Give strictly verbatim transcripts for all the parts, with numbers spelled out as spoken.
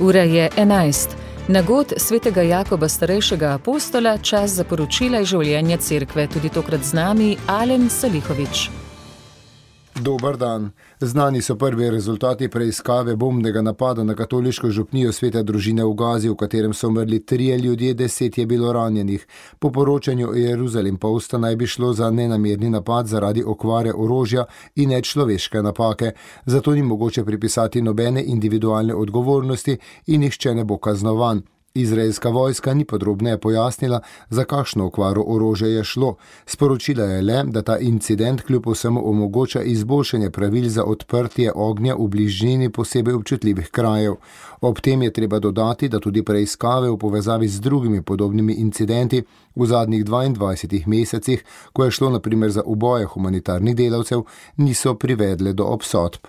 Ura je enajst. Nagod svetega Jakoba starejšega apostola, čas za poročila iz življenja cerkve, tudi tokrat z nami Alen Salihovič. Dober dan. Znani so prvi rezultati preiskave bombnega napada na katoliško župnijo Svete družine v Gazi, v katerem so umrli trije ljudje, deset je bilo ranjenih. Po poročanju Jeruzalem Posta naj bi šlo za nenamerni napad zaradi okvare orožja in nečloveške napake. Zato ni mogoče pripisati nobene individualne odgovornosti in nihče ne bo kaznovan. Izraelska vojska ni podrobneje pojasnila, za kakšno okvaro orožja je šlo. Sporočila je le, da ta incident kljub vsemu omogoča izboljšanje pravil za odprtje ognja v bližini posebej občutljivih krajev. Ob tem je treba dodati, da tudi preiskave v povezavi z drugimi podobnimi incidenti v zadnjih dvaindvajsetih mesecih, ko je šlo na primer za uboje humanitarnih delavcev, niso privedle do obsodb.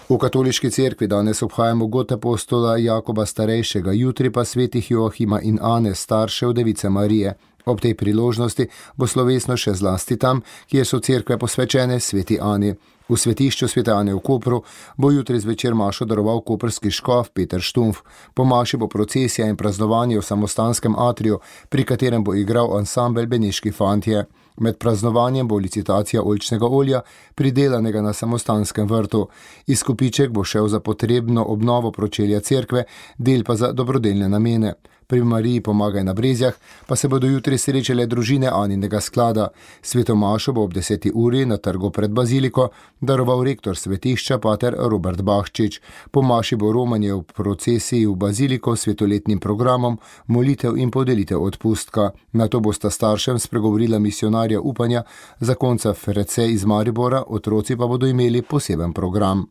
V katoliški cerkvi danes obhajamo god apostola Jakoba starejšega, jutri pa svetih Joachima in Ane, staršev device Marije. Ob tej priložnosti bo slovesno še zlasti tam, kjer so cerkve posvečene sveti Ani. V svetišču svete Ane v Kopru bo jutri zvečer mašo daroval koprski škof Peter Štumf. Po maši bo procesija in praznovanje v samostanskem atriju, pri katerem bo igral ansambel Beneški fantje. Med praznovanjem bo licitacija oljčnega olja, pridelanega na samostanskem vrtu. Izkupiček bo šel za potrebno obnovo pročelja cerkve, del pa za dobrodelne namene. Pri Mariji Pomagaj na Brezjah pa se bodo jutri srečale družine Aninega sklada. Sveto mašo bo ob deseti uri na trgu pred baziliko daroval rektor svetišča pater Robert Bahčič. Po maši bo romanje v procesiji v baziliko s svetoletnim programom, molitev in podelitev odpustka. Nato bosta staršem spregovorila misionarja upanja, zakonca Ferece iz Maribora, otroci pa bodo imeli poseben program.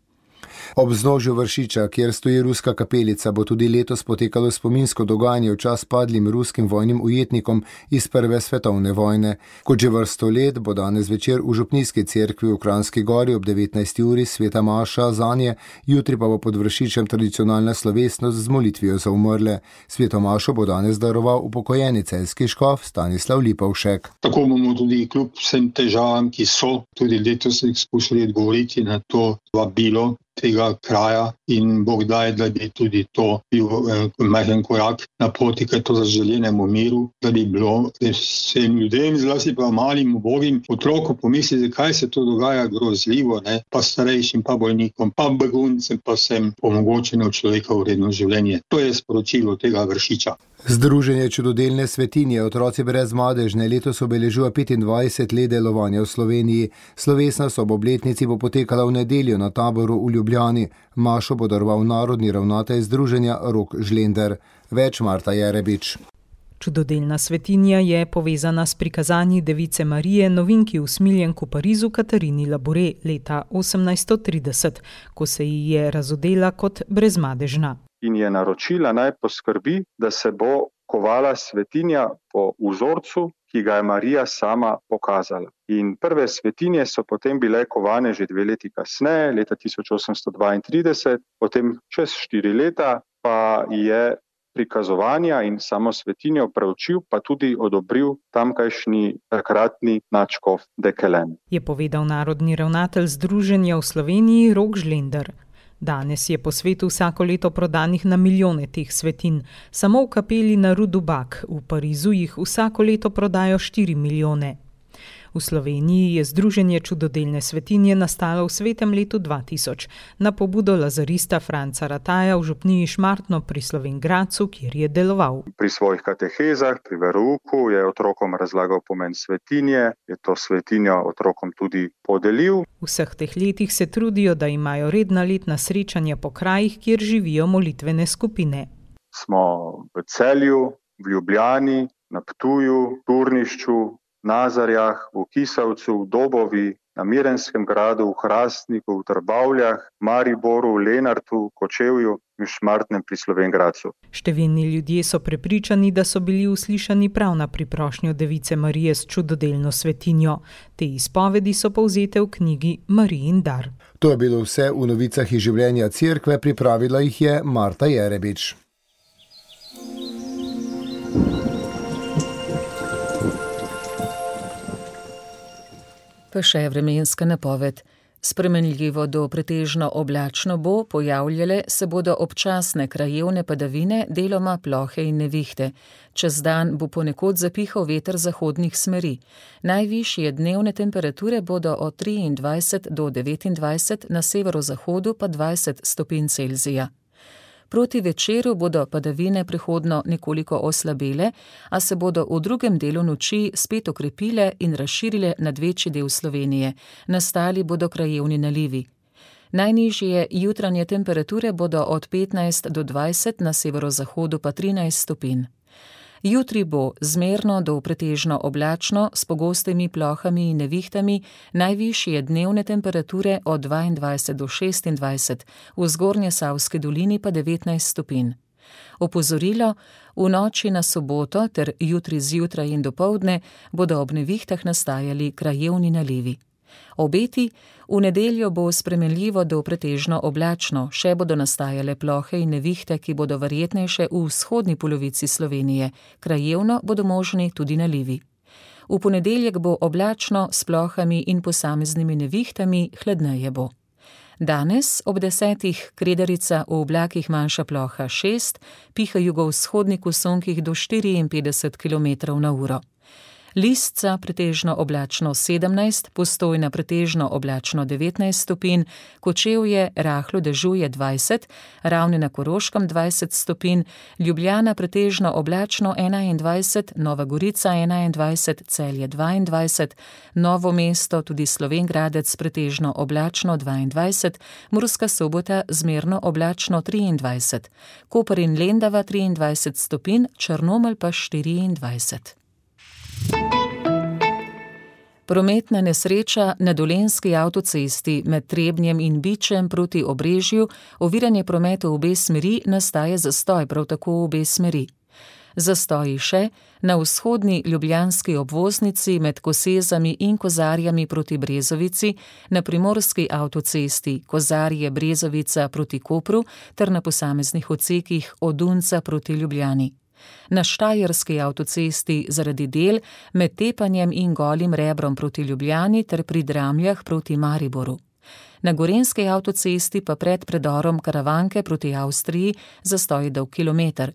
Ob vznožju Vršiča, kjer stoji ruska kapelica, bo tudi letos potekalo spominsko dogajanje v čas padlim ruskim vojnim ujetnikom iz prve svetovne vojne. Kot že vrsto let bo danes večer v župnijski cerkvi v Kranjski Gori ob devetnajsti uri sveta maša zanje, jutri pa bo pod Vršičem tradicionalna slovesnost z molitvijo za umrle. Sveto mašo bo danes daroval upokojeni celjski škof Stanislav Lipovšek. Tako bomo tudi kljub vsem težavam, ki so, tudi letos skušali odgovoriti na to vabilo tega kraja in Bog daj, da bi tudi to bil eh, majhen korak na poti k to zaželjenemu miru, da bi bilo vsem ljudem, zlasti pa malim ubogim otrokom pomisliti, kaj se to dogaja grozljivo, ne? Pa starejšim, pa bolnikom, pa beguncem, pa vsem omogočeno človekovo vredno življenje. To je sporočilo tega Vršiča. Združenje čudodelne svetinje Otroci brez madežne letos obeležuje petindvajset let delovanja v Sloveniji. Slovesnost ob obletnici bo potekala v nedeljo na taboru v Ljubljani. Mašo bo daroval narodni ravnatelj združenja Rok Žlender. Več Marta Jerebič. Čudodelna svetinja je povezana s prikazanji device Marije novinki v smiljenku Parizu Katarini Labore leta osemnajststo trideset, ko se ji je razodela kot brezmadežna. In je naročila naj poskrbi, da se bo kovala svetinja po vzorcu, ki ga je Marija sama pokazala. In prve svetinje so potem bile kovane že dve leti kasneje, leta tisoč osemsto dvaintrideset, potem čez štiri leta pa je prikazovanja in samo svetinjo preučil, pa tudi odobril tamkajšnji takratni nadškof Dekelen. Je povedal narodni ravnatelj združenja v Sloveniji Rok Žlender. Danes je po svetu vsako leto prodanih na milijone teh svetin. Samo v kapeli na Rue du Bac v Parizu jih vsako leto prodajo štiri milijone. V Sloveniji je združenje čudodelne svetinje nastalo v svetem letu dva tisoč na pobudo lazarista Franca Rataja v župniji Šmartno pri Slovenj Gradcu, kjer je deloval. Pri svojih katehezah, pri verouku je otrokom razlagal pomen svetinje, je to svetinjo otrokom tudi podelil. V vseh teh letih se trudijo, da imajo redna letna srečanja po krajih, kjer živijo molitvene skupine. Smo v Celju, v Ljubljani, na Ptuju, Turnišču, Nazarjah, v Kisavcu, v Dobovi, na Mirenskem gradu, v Hrastniku, v Trbavljah, Mariboru, v Lenartu, Kočevju in Šmartnem pri Slovenj Gradcu. Številni ljudje so prepričani, da so bili uslišani prav na priprošnjo device Marije s čudodelno svetinjo. Te izpovedi so povzete v knjigi Marijin dar. To je bilo vse v novicah iz življenja cerkve, pripravila jih je Marta Jerebič. Pa še vremenska napoved. Spremenljivo do pretežno oblačno bo, pojavljale se bodo občasne krajevne padavine, deloma plohe in nevihte. Čez dan bo ponekod zapihal veter zahodnih smeri. Najvišje dnevne temperature bodo od triindvajset do devetindvajset, na severozahodu pa dvajset stopinj Celzija. Proti večeru bodo padavine prehodno nekoliko oslabele, a se bodo v drugem delu noči spet okrepile in razširile nad večji del Slovenije. Nastali bodo krajevni nalivi. Najnižje jutranje temperature bodo od petnajst do dvajset, na severozahodu pa trinajst stopinj. Jutri bo zmerno do pretežno oblačno s pogostimi plohami in nevihtami, najvišje dnevne temperature od dvaindvajset do šestindvajset, v Zgornjesavski dolini pa devetnajst stopinj. Opozorilo: v noči na soboto ter jutri zjutraj in dopoldne bodo ob nevihtah nastajali krajevni nalivi. Obeti: v nedeljo bo spremenljivo do pretežno oblačno, še bodo nastajale plohe in nevihte, ki bodo verjetnejše v vzhodni polovici Slovenije, krajevno bodo možni tudi nalivi. V ponedeljek bo oblačno s plohami in posameznimi nevihtami, hladneje bo. Danes ob desetih Kredarica, v oblakih manjša ploha šest, piha jugovzhodnik v sunkih do štiriinpetdeset kilometrov na uro. Lisca pretežno oblačno sedemnajst, Postojna pretežno oblačno devetnajst stopinj, Kočevje rahlo dežuje dvajset, Ravne na Koroškem dvajset stopinj, Ljubljana pretežno oblačno enaindvajset, Nova Gorica enaindvajset, Celje dvaindvajset, Novo mesto, tudi Slovenj Gradec pretežno oblačno dvaindvajset, Murska Sobota zmerno oblačno triindvajset, Koper in Lendava triindvajset stopinj, Črnomelj pa štiriindvajset. Prometna nesreča na dolenjski avtocesti med Trebnjem in Bičem proti Obrežju, oviranje prometa v obe smeri, nastaja zastoj prav tako v obe smeri. Zastoji še na vzhodni ljubljanski obvoznici med Kosezami in Kozarjami proti Brezovici, na primorski avtocesti Kozarje-Brezovica proti Kopru ter na posameznih odsekih od Dunca proti Ljubljani. Na štajerski avtocesti zaradi del med Tepanjem in Golim Rebrom proti Ljubljani ter pri Dramljah proti Mariboru. Na gorenjski avtocesti pa pred predorom Karavanke proti Avstriji zastoji dolg kilometer.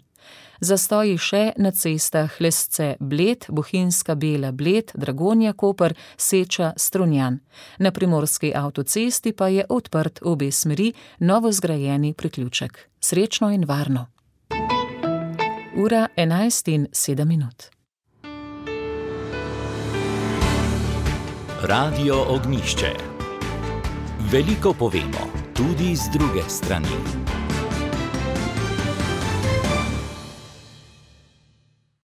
Zastoji še na cestah Lesce-Bled, Bohinjska-Bela-Bled, Dragonja-Koper, Seča-Strunjan. Na primorski avtocesti pa je odprt v obe smeri novo zgrajeni priključek. Srečno in varno! Ura enajst in sedem minut. Radio Ognjišče. Veliko povemo, tudi z druge strani.